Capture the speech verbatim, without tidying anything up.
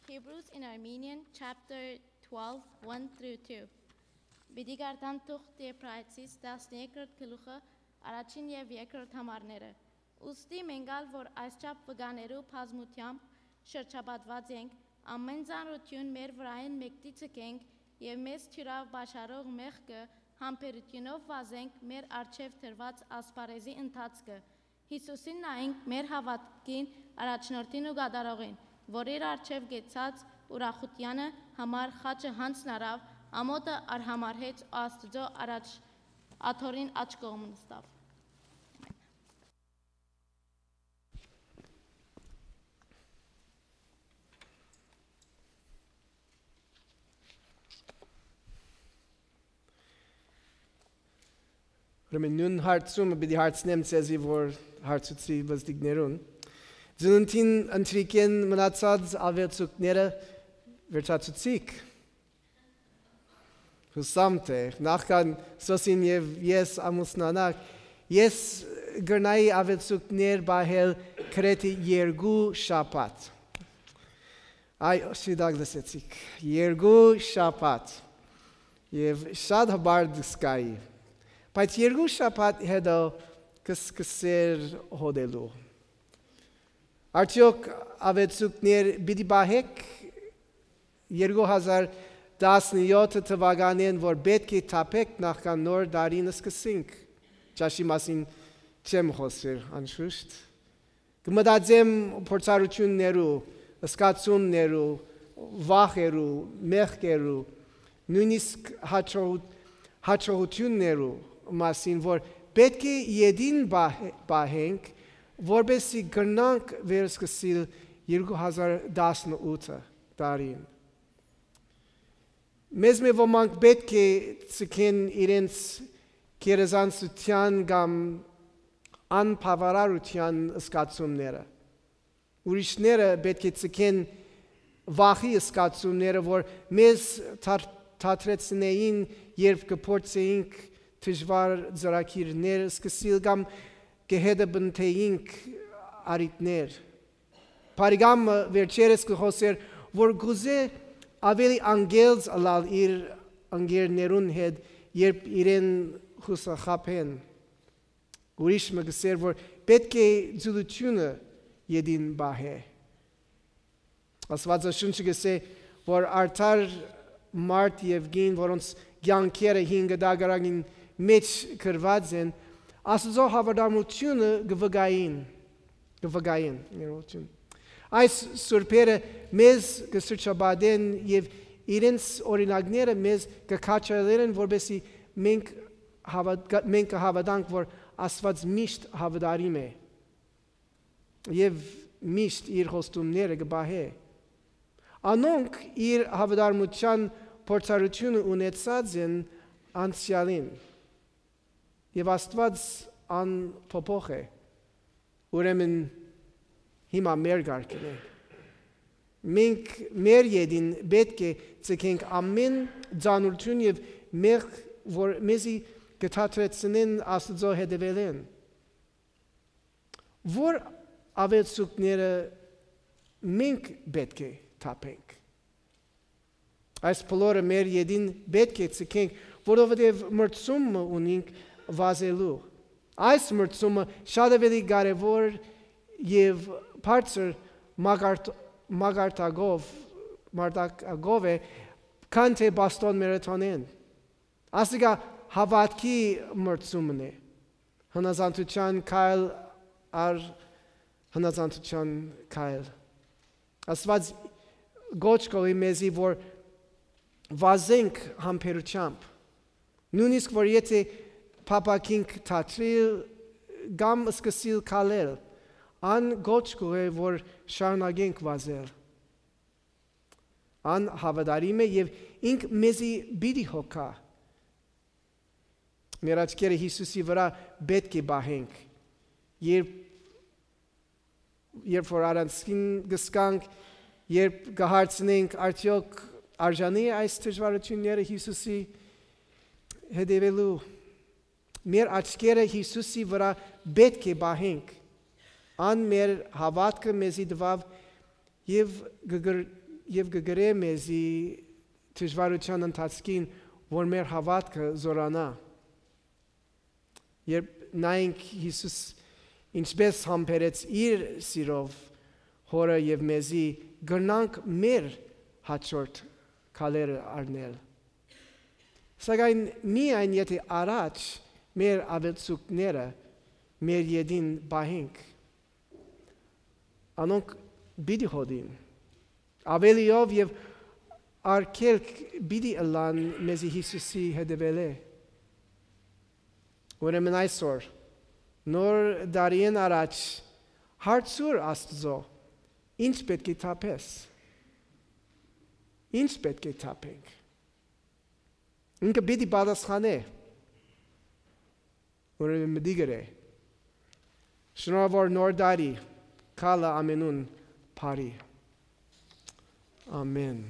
Hebrews in Armenian, chapter twelve, one through two. Բիդի գարտան թուղթ Եբրայեցիս տասներկրորդ գլուխը առաջին եւ երկրորդ համարները։ Ուստի մենգալ, որ այսչափ վգաներու բազմությամբ շրջապատված ենք, ամեն ծանրություն մեր վրային մեկտի ցկենք եւ մեզ թյուրավ բաշարող մեղքը համբերությունով վազենք մեր արչեւ դրված ասպարեզի ընթացքը։ Հիսուսին նայենք մեր հավատքին առաջնորդին ու գադարողին, որ իր արչեւ գեցած ուրախությանը համար խաչը հանցնարավ, ամոթը արհամարհեց Աստծո առաջ աթորին աչ կողմն ստավ։ Ուրեմն նույն հարցումը պիտի հարցնեմ ցեզի, որ հարցուցի բզդիկներուն։ Ձնունտին ընտրիկեն մնացած ավելցուկները վերջացուցիկ։ Հուսամ թե նախքան սոսին եւ ես ամուսնանակ, ես գրնայի ավելցուկներ բահել քրեթի երկու շաբաթ։ Այ շիդակ լսեցիք, երկու շաբաթ եւ շատ հբար դսկայի։ Բայց երկու շաբաթ հետո կսկսեր հոդելու։ Արդյոք ավելցուկներ պիտի բահեք երկու հազար տասնյոթ թվականին, որ պետք է թափեք նախքան նոր դարին սկսենք։ Ճաշի մասին չեմ խոսել, անշուշտ։ Կմտածեմ փորձառություններու, սկացումներու, վախերու, մեղքերու, նույնիսկ հաջողություններու մասին, որ պետք է յետին բահենք, որպեսզի գնանք վերսկսել երկու հազար տասնութ տարին։ Մեզ մի ոմանք պետք է ցկեն իրենց գերազանցության կամ անբավարարության զգացումները։ Ուրիշները պետք է ցկեն վախի զգացումները, որ մեզ թատրեցնեին, երբ կփորձեինք դժվար ծրագիրներ սկսել կամ կհետաբնթեինք արիտներ։ Բարիգամը վերջերս կխոսեր, որ գուզե ավելի անգելց ալալ իր անգերներուն հետ, երբ իրեն խուսախապեն։ Ուրիշը գսեր, որ պետք է ձուլությունը յետին բահե։ Աստվածաշունչը գսե, որ արդար մարդ եւ գին, որոնց կյանքերը հինգ դագարագին մեջ կրված են, Աստծո հավատարմությունը գվգային, գվգային, ներողություն։ Այս սուրբերը մեզ կսրճաբադեն եւ իրենց օրինակները մեզ կքաչալեն, որպեսզի մենք մենք հավատանք, որ Աստված միշտ հավատարիմ է եւ միշտ իր խոստումները կբահե։ Անոնք իր հավատարմության փորձառությունը ունեցած են անցյալին եւ Աստված անփոփոխ է։ Ուրեմն հիմա մեր գարկն է։ Մենք մեր յետին պետք է ցկենք ամեն ծանրություն եւ մեղք, որ մեզի կթատրեցնեն Աստծո հետևելեն։ Որ ավելցուկները մենք պետք է թափենք։ Այս բոլորը մեր յետին պետք է ցկենք, որովհետեւ մրցումը ունենք վազելու։ Այս մրցումը շատ ավելի կարևոր եւ բարձր մագարտագով մարտակագով է, քան թե Բոստոն մարաթոնին։ Ասիկա հավատքի մրցումն է։ Հնազանդության քայլ առ հնազանդության քայլ։ Աստված գոչ կողի մեզի, որ վազենք համբերությամբ։ Նույնիսկ որ եթե փապակինք թատրիլ կամ սկսիլ քալել, ան գոչ կողի, որ շարունակենք վազել։ Ան հավատարիմ է եւ ինք մեզի բիդի հոգա։ Մեր աչքերը Հիսուսի վրա պետք է բահենք։ Երբ երբ որ առանցքին գսկանք, երբ կհարցնենք արդյոք արժանի է այս դժվարությունները Հիսուսի հետևելու, մեր աչքերը Հիսուսի վրա պետք է բահենք։ Ան մեր հավատքը մեզի տվավ եւ գգր եւ գգրե մեզի դժվարության ընթացքին, որ մեր հավատքը զորանա։ Երբ նայենք Հիսուս ինչպես համբերեց իր սիրով հորը եւ մեզի, գնանք մեր հաջորդ քայլերը առնել։ Սակայն միայն եթե առաջ մեր ավելցուկները մեր յետին բահենք, անոնք բիդի հոդին, ավելիով եւ արկելք բիդի ըլլան մեզի Հիսուսի հետևելե։ Ուրեմն այսօր նոր դարին առաջ հարցուր Աստծո, ինչ պետք է թափես, ինչ պետք է թափենք։ Ինքը պիտի պատասխանե, ուրեմն մտի գրե, շնորհավոր նոր դարի, քալը ամենուն բարի։ Ամեն։